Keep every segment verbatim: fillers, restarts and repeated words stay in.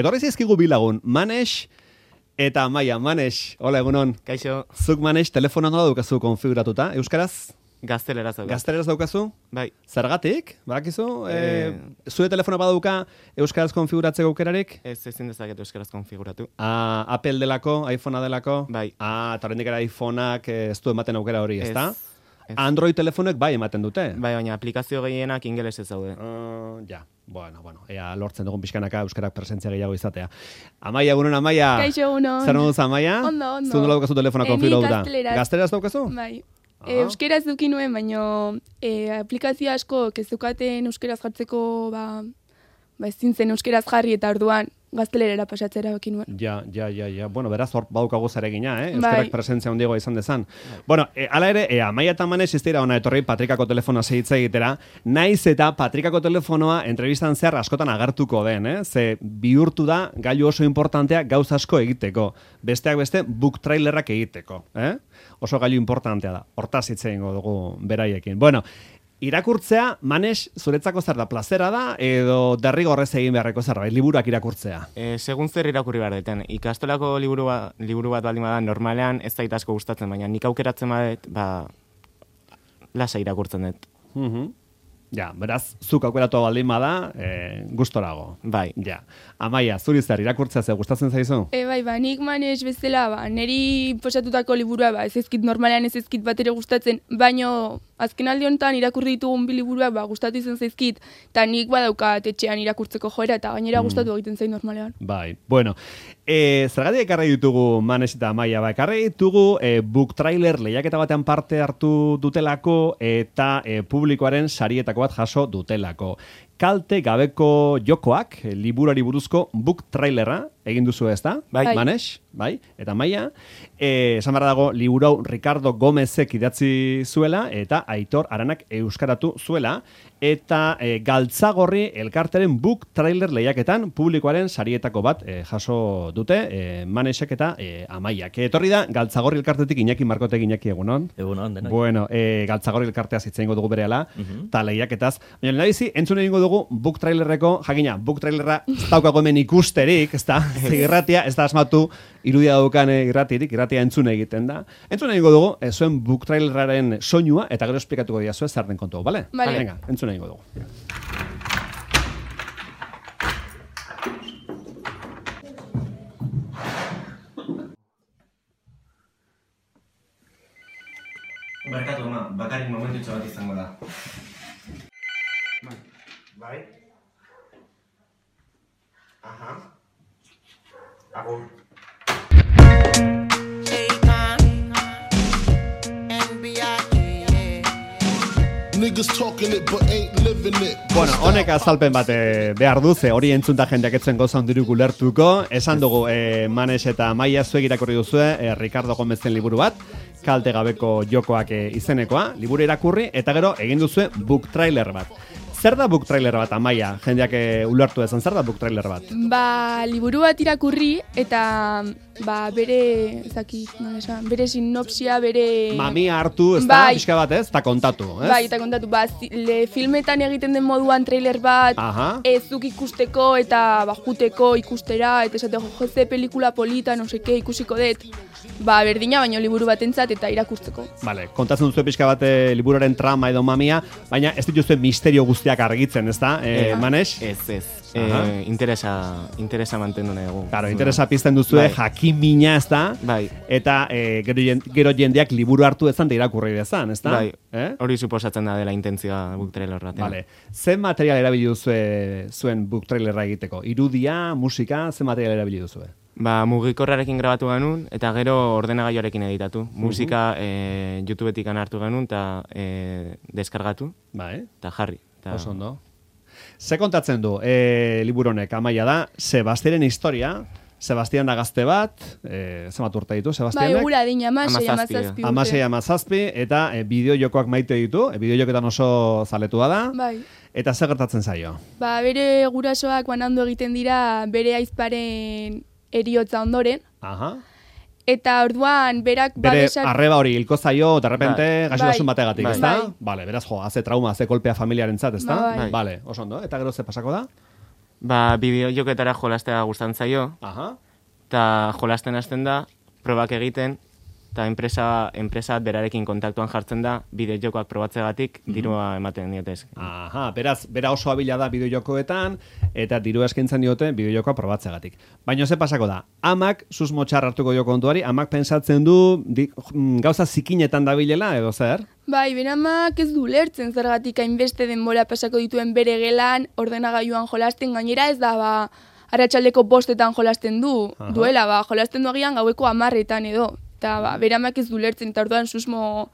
Etorri zizkigu bilagun, Manex eta Amaia. Manex, hola egunon. Kaixo. Zuk Manex, telefonoa nola daukazu konfiguratuta, euskaraz? Gazteleraz daukazu. Gazteleraz daukazu? Bai. Zergatik, badakizu? E... E, zure telefono badauka euskaraz konfiguratzeko aukerarik? Ez ezin dezaket euskaraz konfiguratu. Ah, Apple delako, iPhonea delako? Bai. Ah, eta horrendik era iPhoneak ez du ematen aukera hori, ezta? Ez. Android telefonek bai ematen dute? Bai, baina aplikazio gehienak ingelesez daude. Uh, ja, bueno, bueno, ea lortzen dugun pixkanaka euskarak presentzia gehiago izatea. Amaia, egunon, Amaia. Kaixo, egunon. Zer moduz, Amaia? Ondo, ondo. Zun nola daukazu telefona konfiguratuta? Gazteleraz. Gazteleraz daukazu? Bai. Ah. E, euskeraz duki nuen, baina e, aplikazio asko kezukaten euskeraz jartzeko, ba, ba ezin zen euskeraz jarri eta orduan gaztelerera pasatzera baki nuen. Ja, ja, ja, ja. Bueno, beraz, hor baukago zaregina, eh? Euskarak bai. presentzia handiagoa izan dezan. Bueno, e, ala ere, e, Amaia eta Manex ez dira ona etorri Patrikako telefonoa segitza egitera, naiz eta Patrikako telefonoa entrevistan zehar askotan agertuko den, eh? Ze bihurtu da gailu oso importantea gauz asko egiteko. Besteak beste, book trailerrak egiteko, eh? Oso gailu importantea da. Hortaz hitz egingo dugu beraiekin. Bueno, irakurtzea, Manex, zuretzako zer da, plazera da, edo derrigorrez egin beharreko zerbait, liburuak irakurtzea? E, segun zer irakurri behar deten. Ikastolako liburu, ba, liburu bat baldin bada normalean ez zait asko gustatzen, baina nik aukeratzen badet, ba, lasa irakurtzen dut. Mhm. Ja, beraz, zuk aukeratu baldin bada, e, gustorago. Bai. Ja. Amaia, zuri zer, irakurtzea ze gustatzen zaizu? E, bai, ba, nik Manex bezala, ba, neri posatutako liburua, ba, ez ezkit normalean ez ezkit bat ere gustatzen, baino azken aldi honetan irakurri ditugun bi liburuak, ba, gustatu izan zaizkit, eta nik badaukat etxean irakurtzeko joera, eta gainera Mm. gustatu egiten zain normalean. Bai, bueno, e, zergatik ekarri ditugu Manex eta Amaia, ba, ekarri ditugu e, book trailer lehiaketa batean parte hartu dutelako eta e, publikoaren sarietako bat jaso dutelako. Kalte gabeko jokoak, e, liburuari buruzko book trailerra egin duzu ez da? Bai. Manex, bai, eta Amaia, e, esan behar dago, liburu hau Ricardo Gomezek idatzi zuela, eta Aitor Aranak euskaratu zuela, eta e, Galtzagorri elkarteren book trailer lehiaketan publikoaren sarietako bat e, jaso dute, e, Manexek eta e, Amaiak. Etorri da, Galtzagorri elkartetik Iñaki Markotek Iñaki egunon. Egunon, denoi. Bueno, e, Galtzagorri elkarteaz hitz egingo dugu berehala, eta lehiaketaz. Baina lehendabizi, entzun egingo dugu book trailerreko, jakina, book trailerra ez daukago hemen ikusterik, ez da, irratia, ez da asmatu, irudia daukan irratirik, irratia entzun egiten da. Entzun egingo dugu, e, zuen book traileraren soinua, eta gero esplikatuko dira zuen zer den kontu, bale? Vale. Venga, entzun egingo dugu. Barkatu, ama, bakarrik momentutxo bat izango da. Bai? Aha. Agur. Niggas talking it but ain't living it. Bueno, honek azalpen bat eh, behar du, ze hori entzunta jendeak etzen goza hondirik ulertuko. Esan dugu, eh, Manex eta Amaia zuek irakurri duzue, eh, Ricardo Gomezen liburu bat, kalte gabeko jokoak eh, izenekoa, liburu irakurri, eta gero egin duzue book trailer bat. Zer da book trailer bat, Amaia? Jendeak eh, ulertu ezan, zer da book trailer bat? Ba, liburu bat irakurri, eta ba, bere, ezakit, nola esan, bere sinopsia, bere... Mamia hartu, ez da, Bai. pixka bat ez, eta kontatu, ez? Bai, eta kontatu, ba, zi- le, filmetan egiten den moduan trailer bat, Aha. ezuk ikusteko eta ba, juteko ikustera, eta esateko, jo, ze pelikula polita, no seke, ikusiko dut, ba, berdina, baino liburu batentzat eta irakurtzeko. Vale, kontatzen duzu pixka bat eh, liburuaren trama edo mamia, baina ez dituzue misterio guztiak argitzen, ez da, eh, Manex? Ez, ez. Aha. E, interesa, interesa mantendu nahi dugu. Claro, interesa pizten duzue, Bai. jakimina, ez da? Bai. Eta eh, gero, jen- gero jendeak liburu hartu ezan da irakurri dezan, ez da? Bai. Eh? Hori suposatzen da dela intentzioa book trailer batean. Vale. Zen material erabili duzue zuen book trailerra egiteko? Irudia, musika, zen material erabili duzue? Ba, mugikorrarekin grabatu genuen, eta gero ordenagailuarekin editatu. Musika e, YouTubetik hartu genuen, eta e, deskargatu, Bai, eta jarri. Ta, oso ondo. Ze kontatzen du, e, liburu honek, Amaia da, Sebastiaren historia, Sebastian da gazte bat, e, zenbat urte ditu, Bai, Sebastianek? gura dina, amasei, Hamazazpi, amazazpi urte. Amasei amazazpi, eta e, bideo jokoak maite ditu, e, bideo joketan oso zaletua da, Bai. eta zer gertatzen zaio? Ba, bere gurasoak banandu egiten dira bere aizparen eriotza ondoren, Aha. eta orduan berak Bere babesak... arreba hori hilko zaio, de repente, Bai. gaixotasun Bai. bategatik, Bai. ez da? Bai. Vale, beraz, jo, haze trauma, haze kolpea familiaren zat, ez da? Bai. Bai. Vale, oso ondo. Eta gero ze pasako da? Ba, bideojoketara jolastea gustatzen zaio, Aha. eta jolasten hasten da, probak egiten, eta enpresa, enpresa berarekin kontaktuan jartzen da, bideojokoak probatzegatik, dirua ematen diotez. Aha, beraz, bera oso abila da bideojokoetan, eta dirua eskaintzen diote bideojokoa probatzegatik. Baina ze pasako da, amak susmo txar hartuko jo kontuari, amak pensatzen du di, gauza zikinetan dabilela, edo zer? Bai, beramak ez du lertzen zergatik hainbeste denbora pasako dituen bere gelan, ordenagailuan jolasten, gainera ez da, ba, arratsaldeko bostetan jolasten du, Aha. duela, ba, jolasten du agian gaueko hamarretan edo. Eta ba, beramak ez du lertzen, eta orduan susmo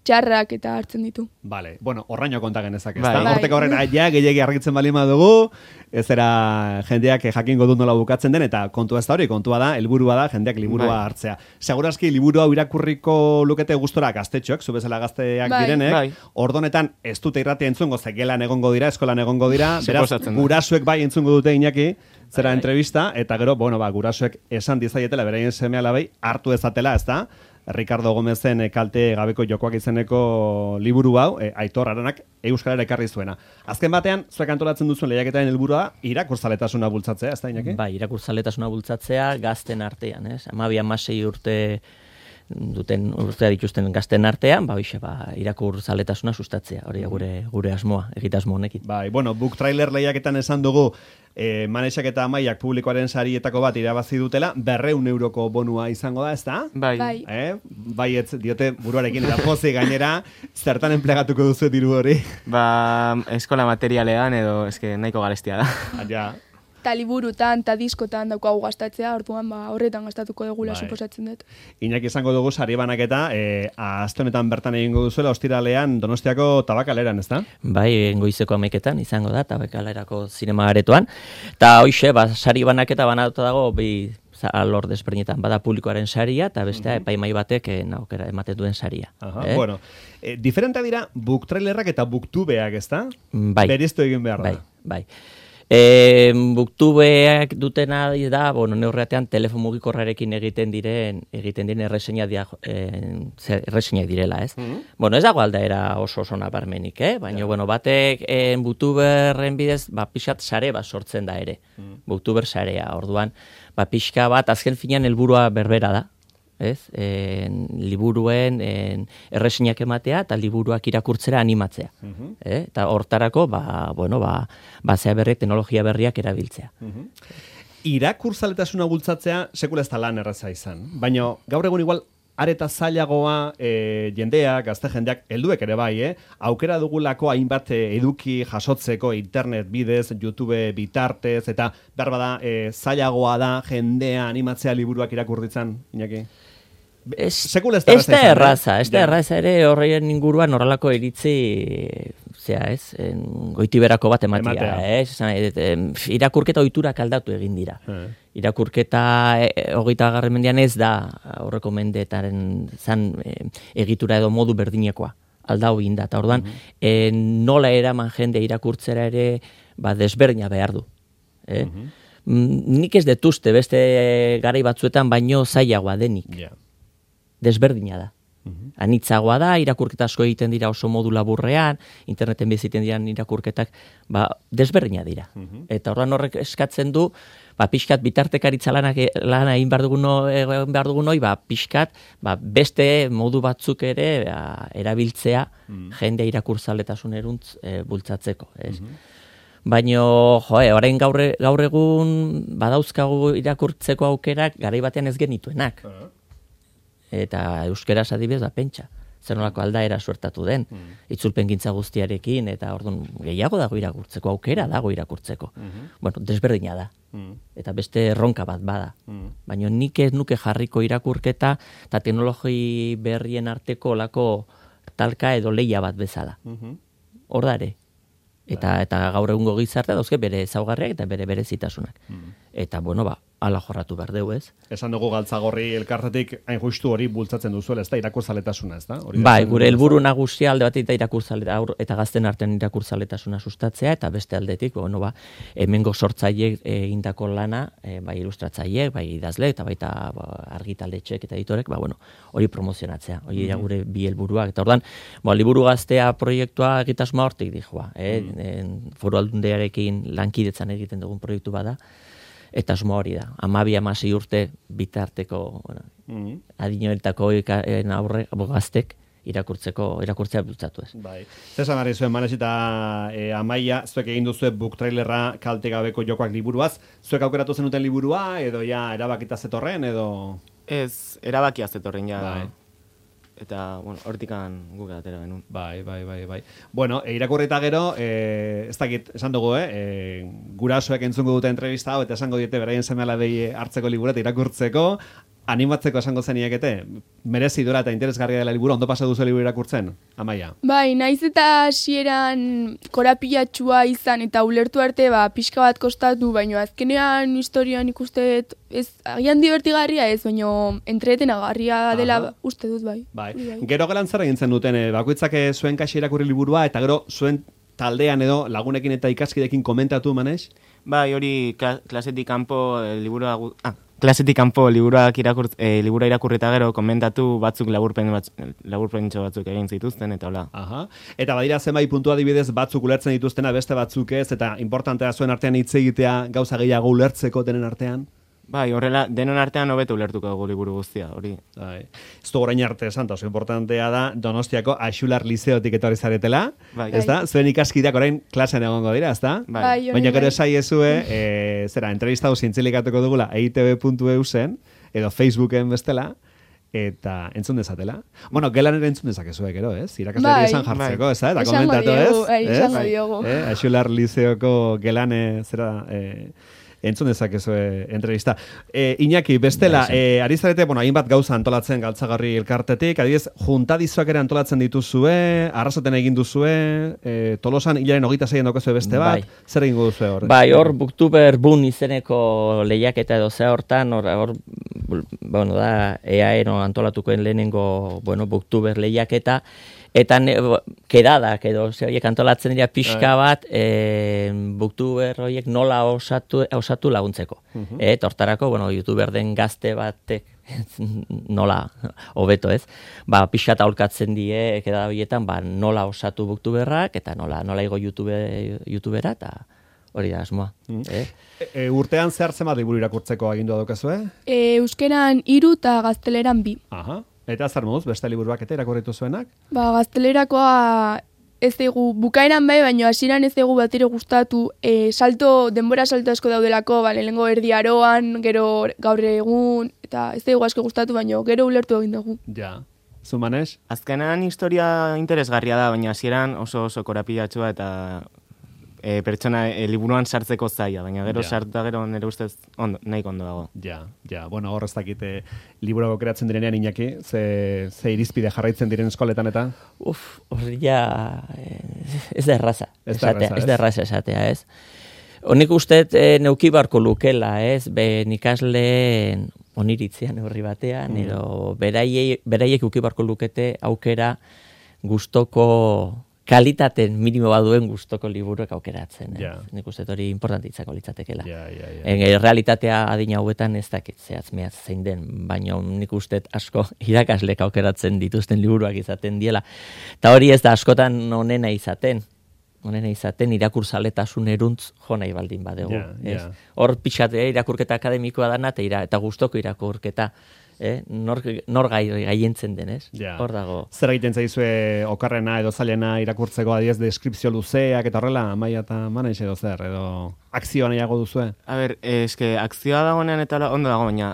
txarrak eta hartzen ditu. Vale, bueno, horraino konta genezak, Bai. ezta? Bai. Horteko horren ja gehiegi argitzen bali dugu, ez era jendeak jakingo dut nola bukatzen den, eta kontua ez da hori, kontua da, helburua da jendeak liburua Bai. hartzea. Segurazki liburu hau irakurriko lukete gustora gaztetxoek, zu bezala gazteak Bai. direnek, Bai. ordonetan ez dute irratia entzungo, ze gelan egongo dira, eskolan egongo dira, beraz, Suposatzen da. gurasuek bai entzungo dute Iñaki, zera entrevista, eta gero, bueno, ba, gurasuek esan dizaietela, beraien seme alabei, hartu ezatela, ez da? Ricardo Gomezen e, kalte gabeko jokoak izeneko liburu hau, e, Aitor Aranak euskarara ekarri zuena. Azken batean, zuek antolatzen duzuen lehiaketaren helburua irakurzaletasuna bultzatzea, ez da, Iñaki? Bai, irakurzaletasuna bultzatzea gazten artean, ez? Hamabi hamasei urte duten urtea dituzten gazten artean, ba hoixe, ba irakurzaletasuna sustatzea. Hori da gure gure asmoa, egitasmo honekin. Bai, bueno, book trailer lehiaketan esan dugu, e, Manexak eta Amaiak publikoaren sarietako bat irabazi dutela, berreun euroko bonua izango da, ez da? Bai. Bai. Eh? Bai, ez diote buruarekin, eta pozi gainera, zertan enplegatuko duzu diru hori. Ba, eskola materialean edo, eske nahiko garestia da. Ja, Eta liburutan, eta diskotan daukagu gastatzea, orduan ba, horretan gastatuko dugula Bai. suposatzen dut. Iñaki izango dugu sari banaketa, e, aste honetan bertan egingo duzuela, ostiralean Donostiako tabakaleran, ez da? Bai, goizeko hamaiketan izango da tabakalerako zinema aretoan. Eta hoixe, ba sari banaketa banatuta dago bi alor desberdinetan, bada publikoaren saria eta bestea epaimai batek eh, aukera ematen duen saria. Aha, eh? bueno, e, diferentea dira book trailerrak eta booktubeak, ez da? Bai. Beriztu egin behar da. Bai, bai. E, booktubeak dutena da, bueno, neurreatean telefon mugikorrarekin egiten diren egiten diren erreseina dia, eh, erreseinak direla, ez? Bueno, ez dago aldaera oso oso nabarmenik, eh? Baina, bueno, batek eh, booktuberren bidez, ba, pixat sare bat sortzen da ere. Booktuber sarea, orduan, ba, pixka bat, azken finean helburua berbera da. Ez? En, liburuen en, erresinak ematea eta liburuak irakurtzera animatzea. eh? Eta hortarako, ba, bueno, ba, basea berriak, teknologia berriak erabiltzea. Irakurzaletasuna bultzatzea sekula ez da lan erraza izan. Baina gaur egun igual areta zailagoa e, jendeak, gazte jendeak, helduek ere bai, eh? Aukera dugulako hainbat e, eduki jasotzeko internet bidez, YouTube bitartez, eta behar bada e, zailagoa da jendea animatzea liburuak irakurritzen, Iñaki? Ez, Sekula ez da ez erraza da izan, eh? erraza, ez da Ja. erraza ere horreien inguruan horrelako iritzi, zera ez, en, goitiberako bat ematia, Ematea. ez? Esan nahi dut, em, irakurketa ohiturak aldatu egin dira. Eh. Irakurketa e, hogeita garren mendean ez da aurreko mendeetaren zan e, egitura edo modu berdinekoa. Aldau egin da, eta orduan, e, nola eraman jende irakurtzera ere ba, desberdina behar du. Eh? Mm, Nik ez detuzte beste garai batzuetan baino zailagoa denik. Ja. Desberdina da. Anitzagoa da, irakurketa asko egiten dira oso modu laburrean, interneten biziten diran irakurketak, ba, desberdina dira. Eta orduan horrek eskatzen du, ba, pixkat bitartekaritza lanak lana egin behar dugun egin behar dugun hoi, ba, pixkat, ba, beste modu batzuk ere ba, erabiltzea jende irakurtzaletasun eruntz e, bultzatzeko, ez? Baino, joe, orain gaur, gaur egun badauzkagu irakurtzeko aukerak garai batean ez genituenak. Eta euskeraz adibidez da pentsa. Zer nolako aldaera suertatu den. Itzulpengintza guztiarekin, eta orduan gehiago dago irakurtzeko, aukera dago irakurtzeko. Bueno, desberdina da. Eta beste erronka bat bada. Baina nik ez nuke jarriko irakurketa eta teknologi berrien arteko olako talka edo leia bat bezala. Hor da ere. Eta, eta gaur egungo gizartea dauzke bere ezaugarriak eta bere berezitasunak. Eta, bueno, ba, ala jorratu behar deu, ez? Esan dugu galtzagorri elkartetik hain justu hori bultzatzen duzuela, ez da, irakurzaletasuna, ez da? Hori da Bai, zen- gure helburu nagusia alde batetik da irakurzale aur eta gazten artean irakurzaletasuna sustatzea eta beste aldetik, bueno, ba, hemengo sortzaileek egindako lana, e, bai ilustratzaileek, bai idazle eta baita ba, argitaletxeek eta editorek, ba bueno, hori promozionatzea. Hori dira gure bi helburuak. Eta ordan, ba, liburu gaztea proiektua egitasmoa hortik dijoa, eh? En, Foru Aldundiarekin lankidetzan egiten dugun proiektu bada. Eta asmo hori da. Amabi, amasei urte bitarteko, bueno, Mhm. adinoetako aurre gaztek irakurtzeko, irakurtzea bultzatu ez. Bai. Zesan ari zuen, Manes eta e, Amaia, zuek egin duzue book trailerra kalte gabeko jokoak liburuaz, zuek aukeratu zenuten liburua, edo ja erabakita zetorren, edo... Ez, erabakia zetorren ja. Bai. Eta, bueno, hortikan guk atera genuen. Bai, bai, bai, bai. Bueno, e, irakurri eta gero, e, ez dakit, esan dugu, eh? E, gurasoek entzungo dute entrevista hau, eta esango diete beraien seme-alabei hartzeko liburu eta irakurtzeko, animatzeko esango zeniekete, merezi dura eta interesgarria dela liburu, ondo pasa duzu liburu irakurtzen, Amaia? Bai, naiz eta hasieran korapilatxua izan eta ulertu arte ba, pixka bat kostatu, baina azkenean historian ikusteet ez, agian divertigarria ez, baina entretenagarria dela Aha. uste dut bai. Bai. Hori Gero gelan zer egin zen duten, eh, bakoitzak eh, zuen kaxe irakurri liburua, eta gero zuen taldean edo lagunekin eta ikaskidekin komentatu, Manes? Bai, hori kla- klasetik kanpo eh, liburua gu- ah, klasetik kanpo liburuak irakur, eh, liburua irakurri eta gero komentatu batzuk laburpen batz, laburpentxo batzuk egin zituzten eta hola. Aha. Eta badira zenbait puntu adibidez batzuk ulertzen dituztena beste batzuk ez, eta importantea zuen artean hitz egitea gauza gehiago ulertzeko denen artean? Bai, horrela, denon artean hobeto ulertuko dugu liburu guztia, hori. Bai. Ez du orain arte esan, oso importantea da Donostiako Axular Lizeotik etorri zaretela, Bai. ez da? Zuen ikaskideak orain klasean egongo dira, ez da? Bai. Bai, hori Baina gero bai. esaiezue, e, zera, entrevista hau zintzilikatuko dugula e i te be puntu e u zen, edo Facebooken bestela, eta entzun dezatela. Bueno, gelan ere entzun dezakezue, gero, ez? Irakasleri Bai. esan jartzeko, ez da? Eta Esango komentatu, diogu, ez? bai, Ez? esango diogu. Eh? Axular Lizeoko gelane, zera, e, entzun dezakezue entrevista. E, Iñaki, bestela, e, ari zarete, bueno, hainbat gauza antolatzen galtzagarri elkartetik, adibidez, juntadizoak ere antolatzen dituzue, arrasaten egin duzue, e, Tolosan hilaren hogeita zeien daukazue beste bat, Bai. zer egingo duzue hor? Bai, hor Booktuber Boom izeneko lehiaketa edo ze hortan, hor, hor bueno, da E A E no antolatukoen lehenengo, bueno, Booktuber lehiaketa, eta ne, kedadak edo ze horiek antolatzen dira pixka bat, e, Booktuber horiek nola osatu, osatu laguntzeko. Uh-huh. E, tortarako, bueno, YouTuber den gazte batek nola hobeto ez, ba, pixka aholkatzen die keda horietan, ba, nola osatu Booktuberrak, eta nola, nola igo YouTube, YouTubera, eta hori da asmoa. Eh? E, e, urtean zehar zenbat liburu irakurtzeko agindua daukazue? E, euskeran hiru eta gazteleran bi. Aha. Eta zer moduz, beste liburuak eta irakurritu zuenak? Ba, gaztelerakoa ez dugu, bukaeran bai, baina hasieran ez dugu bat ere gustatu, e, salto, denbora salto asko daudelako, ba, lehenengo erdi aroan, gero gaur egun, eta ez dugu asko gustatu, baina gero ulertu egin dugu. Ja. Zu, Manes? Azkenean historia interesgarria da, baina hasieran oso oso korapilatxua eta e, pertsona e, liburuan sartzeko zaila, baina gero Ja. sartu gero nire ustez ondo, nahiko ondo dago. Ja, ja. Bueno, hor ez dakite liburuak kreatzen direnean, Iñaki, ze, ze irizpide jarraitzen diren eskoletan eta? Uf, hori ja eh, ez da erraza. Ez da esatea, erraza, ez ez? da erraza esatea, ez? Honik uste e, neuki barko lukela, ez? Be ikasleen oniritzean neurri batean, Mm. edo beraiei, beraiek uki barko lukete aukera gustoko kalitaten minimo baduen gustoko liburuak aukeratzen. Ez? Ja. Nik uste hori importante izango litzatekeela. Ja, ja, ja. En, e, realitatea adina hauetan ez dakit zehatz mehatz zein den, baina nik uste asko irakaslek aukeratzen dituzten liburuak izaten diela. Eta hori ez da askotan onena izaten. Onena izaten irakurzaletasun eruntz jo nahi baldin badegu. Ja, ez? ja. Hor pixat eh, irakurketa akademikoa dana eta, ira, eta gustoko irakurketa. Eh? Nor, nor gai, gaientzen denez. Ja. Hor dago. Zer egiten zaizue okarrena edo zailena irakurtzeko adiez deskripzio luzeak eta horrela, Amaia eta Manes edo zer, edo akzioa nahiago duzue? A ber, eh, eske akzioa dagoenean eta hola, ondo dago, baina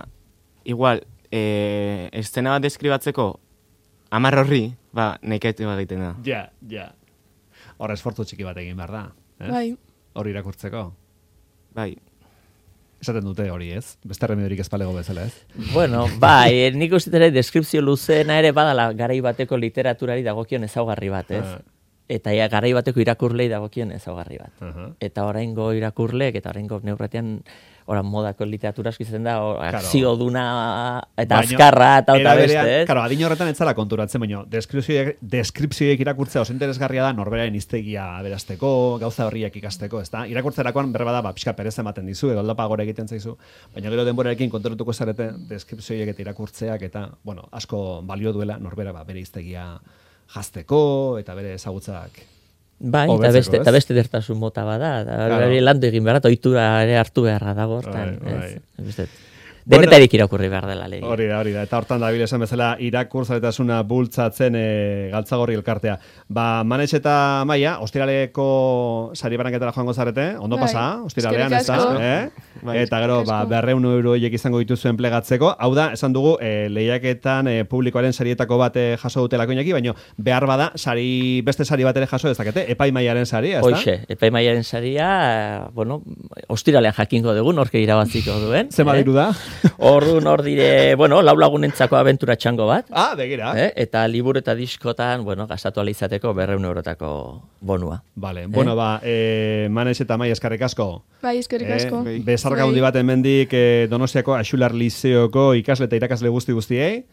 igual, eh, eszena bat deskribatzeko hamar horri, ba, nekete egiten da. Ja, ja. Hor esfortzu txiki bat egin behar da. Ez? Bai. Hor irakurtzeko. Bai, Esaten dute hori, ez? Beste remediorik ez palego bezala, ez? Bueno, bai, eh, nik uste ere deskripzio luzeena ere badala garai bateko literaturari dagokion ezaugarri bat, ez? Ah. Eta ja, garai bateko irakurlei dagokion ezaugarri bat. Aha. Eta oraingo irakurleek eta oraingo neurratean Ora, modako literatura asko izaten da, or, Claro. akzio duna eta Baina, azkarra eta era eta berean, beste, ez? Claro, adin horretan ez zara konturatzen, baina deskripzioiek, deskripzioiek irakurtzea oso interesgarria da norberaren hiztegia aberasteko, gauza berriak ikasteko, ezta? Irakurtzerakoan berba da, ba, pixka perez ematen dizu, edo aldapa gore egiten zaizu, baina gero denborarekin konturatuko zarete deskripzioiek eta irakurtzeak eta, bueno, asko balio duela norbera ba, bere hiztegia jazteko eta bere ezagutzak. Bai, eta hobetzeko, beste, ez? eta beste dertasun mota bada, eta Claro. hori landu egin behar, eta ohitura ere hartu beharra dago, hortan, Bai, bai. ez? Beste, denetarik irakurri behar dela lege. Hori da, hori da. Eta hortan dabil esan bezala irakurzaletasuna bultzatzen e, galtzagorri elkartea. Ba, Manes eta Maia, ostiraleko sari banaketara joango zarete, ondo Bai. pasa, ostiralean, ez Eskerrik da? asko. Eh? Bai. Eta gero, ba, Asko. berreun euro horiek izango dituzuen plegatzeko. Hau da, esan dugu, e, lehiaketan e, publikoaren sarietako bat e, jaso dutelako inaki, baina behar bada, sari, beste sari bat ere jaso dezakete, epaimaiaren saria, ez da? Hoxe, epaimaiaren saria, eh, bueno, ostiralean jakingo dugu, norke irabaziko duen. Zema diru da? Orduan hor dire, bueno, lau lagunentzako abentura txango bat, Ah, begira. eh? Eta liburu eta diskotan, bueno, gastatu ahal izateko berreun eurotako bonua. Vale, bueno, ba, e, Manes eta Maia eskarrik asko. Bai, eskerrik Eh, asko. Bezarka handi bat hemendik eh, Donostiako Axular Lizeoko ikasle eta irakasle guzti guztiei,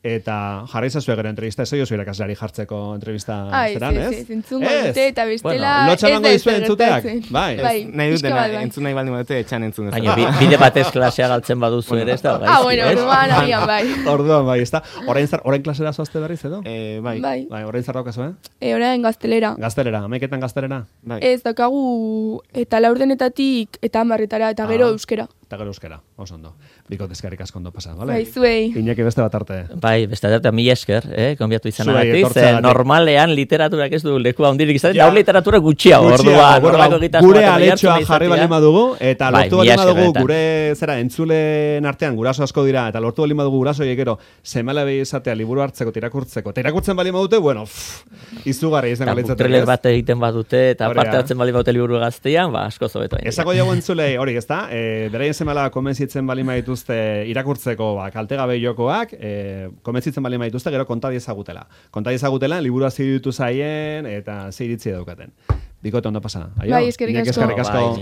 eta jarri zazue gero entrevista, ez oiozu irakasleari jartzeko entrevista Ai, zeran, ez, ez? ez, entzungo dute, eta bestela Bueno, lotxa ez emango da dizue ezer entzuteak? gertatzen. Bai. Bai, Nahi pixka dutena, bat, bai. entzun nahi baldin badute, etxan entzun ez. Baina bi, bide batez klasea galtzen baduzu ere, ez da? Ah, bueno, ez? orduan agian bai. Orduan, bai, ezta? Orain, zar, orain klasera zoazte berriz, edo? Eh, bai, Bai. Bai, orain zar daukazu, eh? E, orain gaztelera. Gaztelera, amaiketan gaztelera? bai. Ez daukagu eta laurdenetatik eta hamarretara eta gero Ah. euskera. Eta gero euskera, oso ondo. Biko deskarrik asko ondo pasa, vale? Bai, zuei. Iñaki beste bat arte. Bai, beste dut, mila esker, eh, konbiatu Zuei izanagatik, ze etortzeagatik. normalean literaturak ez du leku handirik izaten, Ja. da literatura gutxiago, Gutxiago, orduan, bueno, horrelako ba, egitasmo gure baten aletxoa oihartzuna jarri izatea. baldin badugu, eta Bai, lortu mila baldin esker badugu, benetan. gure zera entzulen artean guraso asko dira, eta lortu baldin badugu guraso gero semala behi izatea liburu hartzeko, eta irakurtzeko, eta irakurtzen baldin badute, bueno, pff, izugarri izango Eta litzateke, trailer ez? bat egiten badute, eta Hori parte da. hartzen bali baute liburu gaztean, ba, asko zobeto. Esako diago entzulei, hori, ezta? E, beraien semala konbentzitzen bali dituzte irakurtzeko ba, kaltegabe jokoak, e, konbentzitzen bali dituzte gero konta diezagutela. Konta diezagutela, liburua ziditu zaien, eta zeiritzi daukaten. Bikote ondo pasa. Aio? Bai, eskerrik Iñaki, asko. eskerrik asko. Bai,